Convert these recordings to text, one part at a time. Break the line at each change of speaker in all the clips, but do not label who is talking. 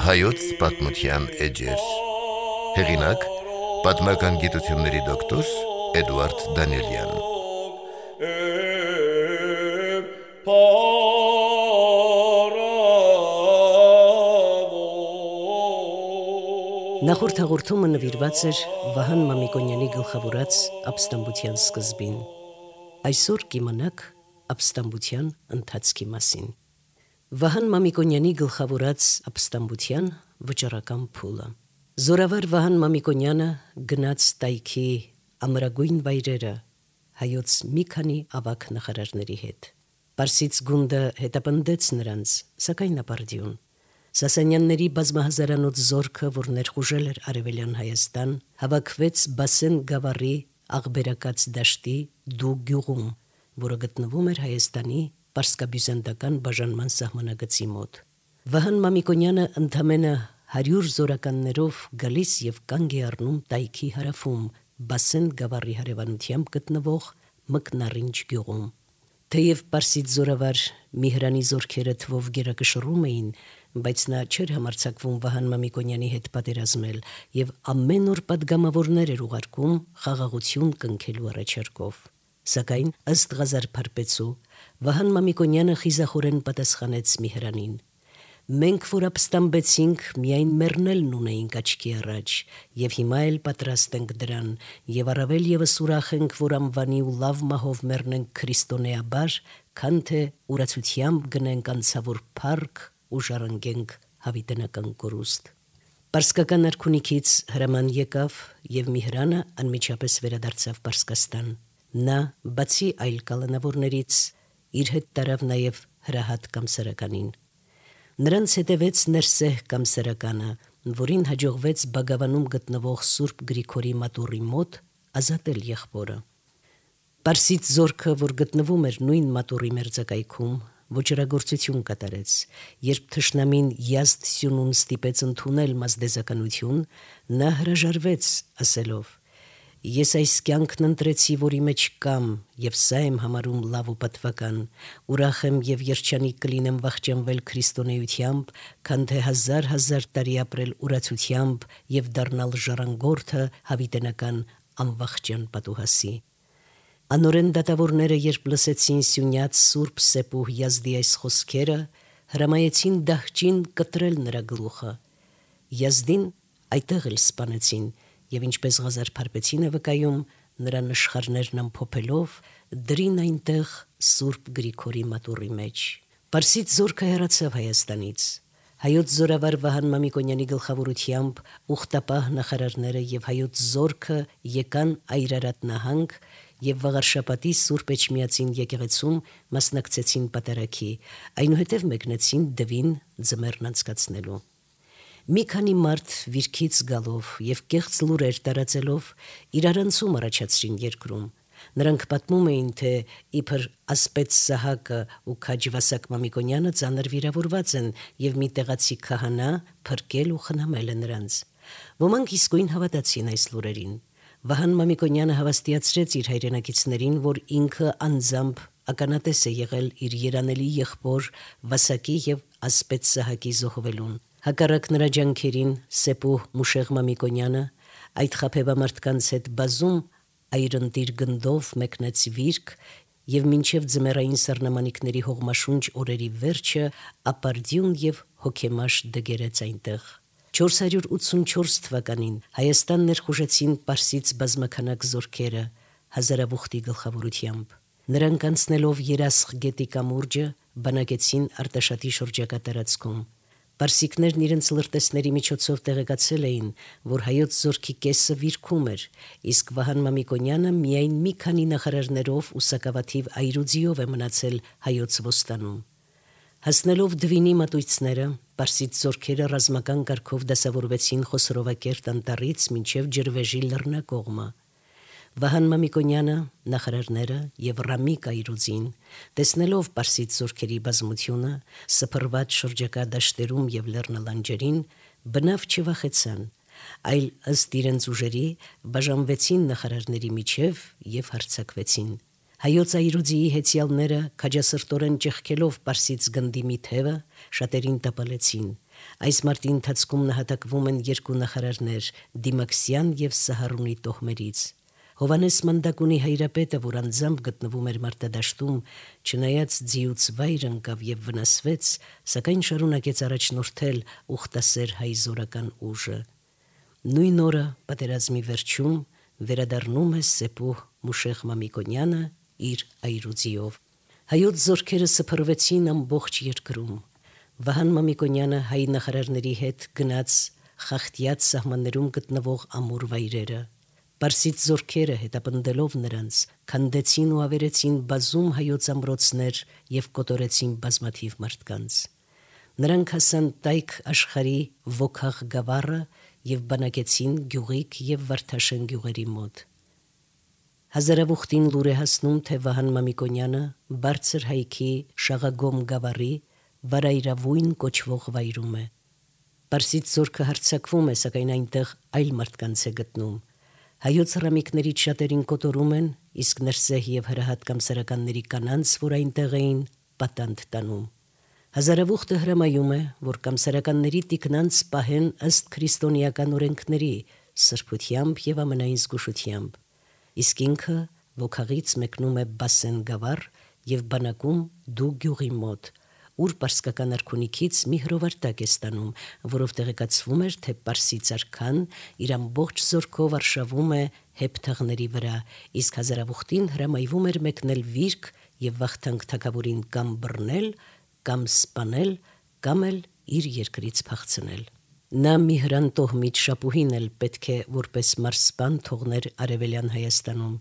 Հայոց պատմության էջեր։ Հեղինակ՝ պատմական գիտությունների դոկտոր Էդուարդ Դանիելյան։
Նախորդ հաղորդումը նվիրված էր Վահան Մամիկոնյանի գլխավորած ապստամբության սկզբին։ Այսօր կիմանաք ապստամբության ընթացքի մասին։ Վահան Մամիկոնյանի գլխավորած ապստամբության վճռական փուլը։ Զորավար Վահան Մամիկոնյանը գնաց տայքի ամրագույն վայրերը հայոց մի քանի ավագ նախարարների հետ։ Պարսից գունդը հետապնդեց նրանց, սակայն ապարդյուն։ Սասանյանների բազմահազարանոց զորքը, որ ներխուժել էր Արևելյան Հայաստան, հավաքվեց Բասեն գավառի աղբերակաց դաշտի Դու գյուղում, որը գտնվում էր Հայաստանի պարսկաբյուզանդական բաժանման սահմանագծի մոտ։ Վահան Մամիկոնյանը ընդամենը 100 զորականներով գալիս եւ կանգ է առնում տայքի հարավում Բասեն գավառի հարևանությամբ գտնվող Մկնարինջ գյուղում։ Թեև պարսից զորավար Միհրանի զորքերը թվով գերակշռում էին, բայց նա չէր համարձակվում Վահան Մամիկոնյանի հետ պատերազմել եւ ամեն օր պատգամավորներ էր ուղարկում խաղաղություն կնքելու առաջարկով։ Սակայն ըստ Ղազար Փարպեցու Վահան Մամիկոնյանը խիզախորեն պատասխանեց Միհրանին. «Մենք որ ապստամբեցինք, միայն մեռնելն ունեինք աչքի առաջ, եւ հիմա էլ պատրաստ ենք դրան, եւ առավել եւս ուրախ ենք, որ անվանի ու լավ մահով մեռնենք քրիստոնեաբար, քան թե ուրացությամբ գնենք անցավոր փառք ու ժառանգենք հավիտենական կորուստ»։ Պարսկական արքունիքից հրաման եկավ եւ Միհրանը անմիջապես վերադարձավ Պարսկաստան։ Նա, բացի այլ կալանավորներից, իր հետ տարավ նաեւ Հրահատ Կամսարականին։ Նրանց հետևեց Ներսեհ Կամսարականը, որին հաջողվեց Բագավանում գտնվող Սուրբ Գրիգորի մատուռի մոտ ազատել եղբորը։ Պարսից զորքը, որ գտնվում էր նույն մատուռի մերձակայքում, ոչրագործություն կատարեց, երբ թշնամին Յազդ Սյունուն ստիպեց ընդունել մազդեզականություն, նա հրաժարվեց, ասելով. «Ես այս կյանքն ընտրեցի, որի մեջ կամ, եւ սա եմ համարում լավ ու պատվական, ուրախ եմ եւ երջանիկ կլինեմ վախճանվել քրիստոնեությամբ, քան թե հազար տարի ապրել ուրացությամբ եւ դառնալ ժառանգորդը հավիտենական անվախճան պատուհասի»։ Անորեն դատավորները, երբ լսեցին Սյունյաց Սուրբ Սեպուհ Յազդի այս խոսքերը, հրամայեցին դահճին կտրել նրա գլուխը։ Յազդին այդտեղ էլ սպանեցին եւ ինչպես Ղազար Փարպեցին է վկայում, նրա նշխարներն ամփոփելով դրին այնտեղ Սուրբ Գրիգորի մատուռի մեջ։ Պարսից զորքը հեռացավ Հայաստանից։ Հայոց զորավար Վահան Մամիկոնյանի գլխավորությամբ ուխտապահ նախարարները եւ հայոց զորքը եկան Այրարատ նահանգ եւ Վաղարշապատի Սուրբ Էջմիածին եկեղեցում մասնակցեցին պատարագի, այնուհետև մեկնեցին Դվին ձմեռն անցկացնելու։ Մի քանի մարդ վիրքից գալով եւ կեղծ լուրեր տարածելով իրարանցում առաջացրին երկրում։ Նրանք պատմում էին, թե իբր Ասպետ Սահակը ու Քաջվասակ Մամիկոնյանը ծանր վիրավորված են եւ մի տեղացի քահանա փրկել ու խնամել է նրանց։ Ոմանք իսկույն հավատացին այս լուրերին։ Վահան Մամիկոնյանը հավաստիացրեց իր հայրենակիցներին, որ ինքը անձամբ ականատես է եղել իր երանելի եղբոր Վասակի եւ Ասպետ Սահակի զոհվելուն։ Հակառակ նրա ջանքերին Սեպուհ Մուշեղ Մամիկոնյանը այդ խաբեբամարտկանց հետ բազում այրընտիր գնդով մեկնեց վիրք եւ մինչեւ ձմեռային սառնամանիքների հողմաշունչ օրերի վերջը ապարդյուն եւ հոգեմաշ դգերեց այնտեղ։ 484 թվականին Հայաստան ներխուժեցին պարսից բազմաքանակ զորքերը Հազարավուխտի գլխավորությամբ։ Նրանք անցնելով Երասխ գետի կամուրջը բանակեցին Արտաշատի շրջակա տարածքում։ Պարսիկներն իրենց լրտեսների միջոցով տեղեկացել էին, որ հայոց զորքի կեսը վիրքում էր, իսկ Վահան Մամիկոնյանը միայն մի քանի նախարարներով ու սակավաթիվ այրուձիով է մնացել հայոց ոստանում։ Հասնելով Դվինի մատույցները, պարսից զորքերը ռազմական կարգով դասավորվեցին Խոսորովակերտ անտառից մինչև Ջրվեժի լեռնակողմը։ Վահան Մամիկոնյանը, նախարարները եւ Ռամիկ Այրուձին, տեսնելով պարսից զորքերի բազմությունը, սփռված շրջակա դաշտերում եւ լեռնալանջերին, բնավ չվախեցան, այլ ըստ իրենց ուժերի բաժանվեցին նախարարների միջև եւ հարձակվեցին։ Հայոց այրուձիի հեծյալները քաջասրտորեն ճեղքելով Պարսից գնդի մի թևը շատերին տապալեցին։ Այս մարտի ընթացքում նահատակվում են երկու նախարարներ՝ Դիմաքսյան եւ Սահարունի տոհմերից։ Հովանես Մանդակունի հայրապետը, որ անձամբ գտնվում էր մարտադաշտում, չնայած ձիուց վայր ընկավ եւ վնասվեց, սակայն շարունակեց առաջնորդել ուխտասեր հայ զորական ուժը։ Նույն օրը պատերազմի վերջում վերադառնում է Սեփուհ Մուշեղ Մամիկոնյանը իր այրուձիով։ Հայոց զորքերը սփռվեցին ամբողջ երկրում։ Վահան Մամիկոնյանը հայ նախարարների հետ գնաց Խախտյաց սահմաններում գտնվող ամուր վայրերը։ Պարսից զորքերը հետապնդելով նրանց քանդեցին ու ավերեցին բազում հայոց ամրոցներ եւ կոտորեցին բազմաթիվ մարդկանց։ Նրանք հասան Տայք աշխարհի Վոքաղ գավառը եւ բանակեցին Գյուղիկ եւ Վարդաշեն գյուղերի մոտ։ Հազարավուխտին լուր է հասնում, թե Վահան Մամիկոնյանը բարձր հայքի Շաղագոմ գավառի Վարայրավույն կոչվող վայրում է։ Պարսից զորքը հարձակվում է, սակայն այնտեղ այլ մարդկանց է գտնում։ Հայոց հրամիկներից շատերին կոտորում են, իսկ ներսեհ եւ հրահատ կամսարականների կանանց, որ այնտեղ էին, պատանդ տանում։ Հազարավուխտը հրամայում է, որ կամսարականների տիկնանց պահեն ըստ քրիստոնեական օրենքների, սրբությամբ եւ ամենայն զգուշությամբ։ Իսկ ինքը Վոքաղից մեկնում է Բասեն գավառ եւ բանակում Դու գյուղի մոտ, ուր պարսկական արքունիքից մի հրովարտակ է ստանում, որով տեղեկացվում էր, թե Պարսից արքան իր ամբողջ զորքով արշավում է հեփթաղների վրա, իսկ հազարավուխտին հրամայվում էր մեկնել վիրք եւ Վախթանգ թագավորին կամ բռնել, կամ սպանել, կամ էլ իր երկրից փախցնել։ Նա Միհրան տոհմից Շապուհին էլ պետք է որպես մարսպան թողներ Արևելյան Հայաստանում։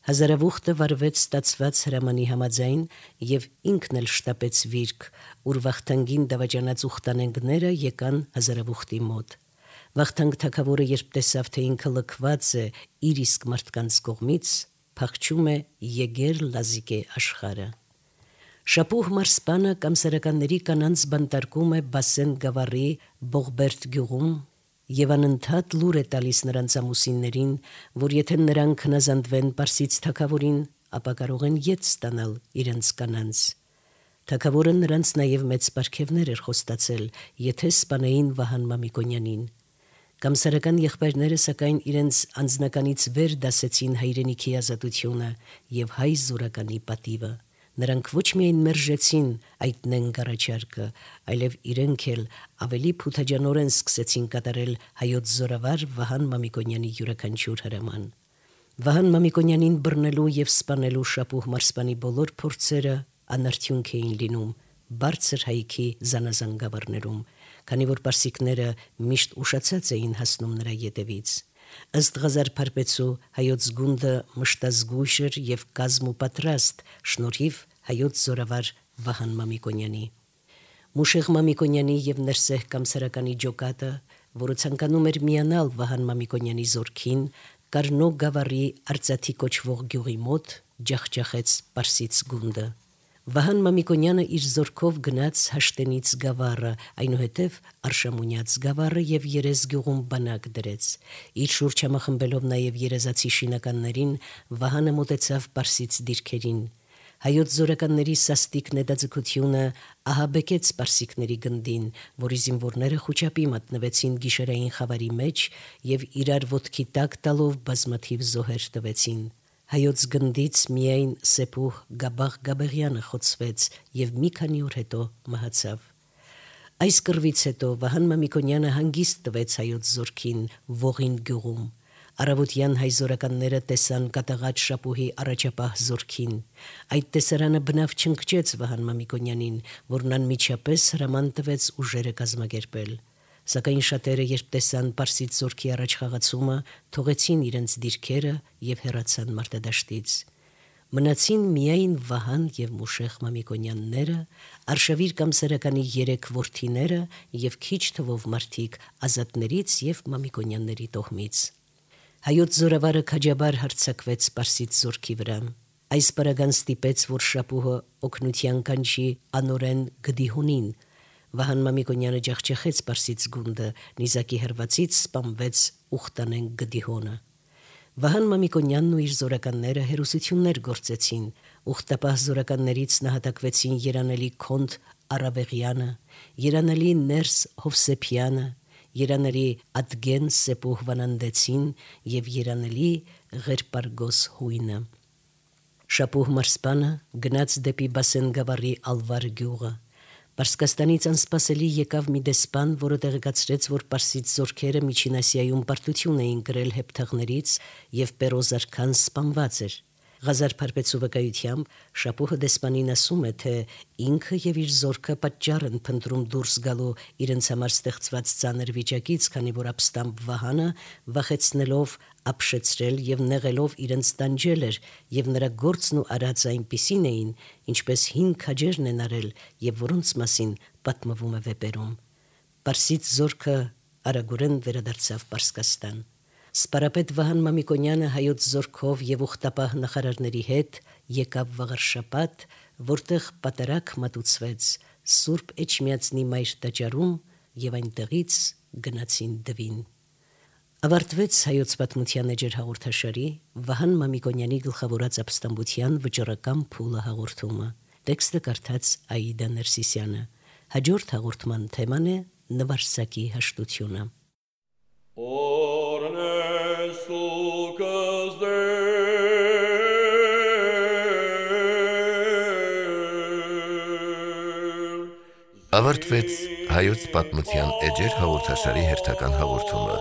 Հազարավուխտը վարվեց ստացված հրամանի համաձայն եւ ինքն էլ շտապեց վիրք, ուր Վախթանգին դավաճանած ուխտանենգները եկան Հազարավուխտի մոտ։ Վախթանգ թագավորը երբ տեսավ, թե ինքը լքված է իր իսկ մարդկանց կողմից, փախչում է Եգեր Լազիկե աշխարհը։ Շապուհ մարսպանը կամսարականների կանանց բանտարկում է Բասեն գավառի Բողբերտ գյուղում եւ անընդհատ լուր է տալիս նրանց ամուսիններին, որ եթե նրանք հնազանդվեն Պարսից թագավորին, ապա կարող են ետ ստանալ իրենց կանանց։ Թագավորը նրանց նաեւ մեծ պարգևներ էր խոստացել, եթե սպանեին Վահան Մամիկոնյանին։ Կամսարական եղբայրները սակայն իրենց անձնականից վեր դասեցին հայրենիքի ազատությունը եւ հայ զորականի պատիվը։ Նրանք ոչ միայն մերժեցին այդ նենգարաչարկը, այլև իրենք էլ ավելի փութաջանորեն սկսեցին կատարել հայոց զորավար Վահան Մամիկոնյանի յուրաքանչյուր հրաման։ Վահան Մամիկոնյանին բռնելու եւ սպանելու Շապուհ մարսպանի բոլոր փորձերը անարդյունք էին լինում բարձր հայքի զանազան գավառներում, քանի որ պարսիկները միշտ ուշացած էին հասնում նրա ետևից։ Ըստ Ղազար Փարպեցու հայոց գունդը մշտազգույշ էր եւ կազմ ու պատրաստ շնորհիվ հայոց զորավար Վահան Մամիկոնյանի։ Մուշեղ Մամիկոնյանի եւ Ներսեհ կամսարականի ջոկատը, որը ցանկանում էր միանալ Վահան Մամիկոնյանի զորքին, Կարնո գավառի Արծաթի կոչվող գյուղի մոտ ջախջախեց Պարսից գունդը։ Վահան Մամիկոնյանը իր զորքով գնաց Հաշտենից գավառը, այնուհետև Արշամունյաց գավառը եւ Երես գյուղում բանակ դրեց։ Իր շուրջ համախմբելով նաեւ երազացի շինականներին, Վահանը մոտեցավ Պարսից դիրքերին։ Հայոց զորականների սաստիկ նետաձգությունը ահաբեկեց պարսիկների գնդին, որի զինվորները խուճապի մատնվեցին գիշերային խավարի մեջ եւ իրար ոտքի տակ տալով բազմաթիվ զոհեր տվեցին։ Հայոց գնդից միայն Սեփուհ Գաբաղ Գաբեղյանը խոցվեց եւ մի քանի օր հետո մահացավ։ Այս կռվից հետո Վահան Մամիկոնյանը հանգիստ տվեց հայոց զորքին Ողին գյուղում։ Արավոտյան հայ զորականները տեսան կատաղած Շապուհի առաջապահ զորքին։ Այդ տեսարանը բնավ չընկճեց Վահան Մամիկոնյանին, որն անմիջապես հրաման տվեց ուժերը կազմակերպել։ Սակայն շատերը, երբ տեսան Պարսից զորքի առաջխաղացումը, թողեցին իրենց դիրքերը եւ հեռացան մարտադաշտից։ Մնացին միայն Վահան եւ Մուշեղ Մամիկոնյանները, Արշավիր կամսարականի 3 որդիները եւ քիչ թվով մարդիկ ազատներից եւ Մամիկոնյանների տոհմից։ Հայոց զորավարը քաջաբար հարձակվեց Պարսից զորքի վրա։ Այս պարագան ստիպեց, որ Շապուհը օգնության կանչի անորեն Գդիհունին, Վահան Մամիկոնյանը ջախջախեց Պարսից գունդը, նիզակի հրվածից սպանվեց Ուխտանեն Գդիհոնը։ Վահան Մամիկոնյանն ու իր զորականները հերոսություններ գործեցին, ուխտապահ զորականներից նահատակվեցին երանելի Քոնդ Արավեղյանը, երանելի Ներս Հովսեփյանը, երանելի Ադգեն Սեպուհ Վանանդեցին եւ երանելի Ղերպարգոս Հույնը։ Շապուհ Մարսպանը գնաց դեպի Բասենգավառի Ալվար գյուղը։ Պարսկաստանից անսպասելի եկավ մի դեսպան, որը տեղեկացրեց, որ Պարսից զորքերը Միջին Ասիայում պարտություն էին կրել հեպթաղներից եւ Պերոզարքան սպանված էր։ Ղազար Փարպեցու վկայությամբ Շապուհը դեսպանին ասում է, թե ինքը եւ իր զորքը պատճառ են փնտրում դուրս գալու իրենց համար ստեղծված ծանր վիճակից, քանի որ ապստամբ Վահանը վախեցնելով, ապշեցրել եւ նեղելով իրենց տանջել էր, եւ նրա գործն ու արածը այնպիսին էին, ինչպես հին քաջերն են արել եւ որոնց մասին պատմվում է վեպերում։ Պարսից զորքը արագորեն վերադարձավ Պարսկաստան։ Սպարապետ Վահան Մամիկոնյանը հայոց զորքով եւ ուխտապահ նախարարների հետ եկավ Վաղարշապատ, որտեղ պատարակ մատուցվեց Սուրբ Էջմիածնի մայր տաճարում եւ այնտեղից գնացին Դվին։ Ավարտվեց հայոց պատմության էջեր հաղորդաշարի Վահան Մամիկոնյանի գլխավորած ապստամբության վճռական փուլը հաղորդումը։ Տեքստը կարդաց Աիդա Ներսիսյանը։ Հաջորդ հաղորդման թեման է նվարսակի հաշտությունը։
Ավարտվեց հայոց պատմության էջեր հաղորդաշարի հերթական հաղորդումը։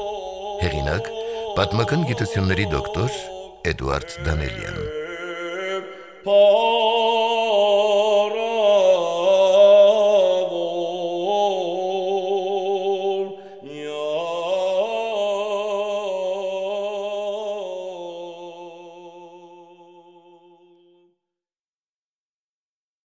Հեղինակ՝ պատմական գիտությունների դոկտոր Էդուարդ Դանելյան։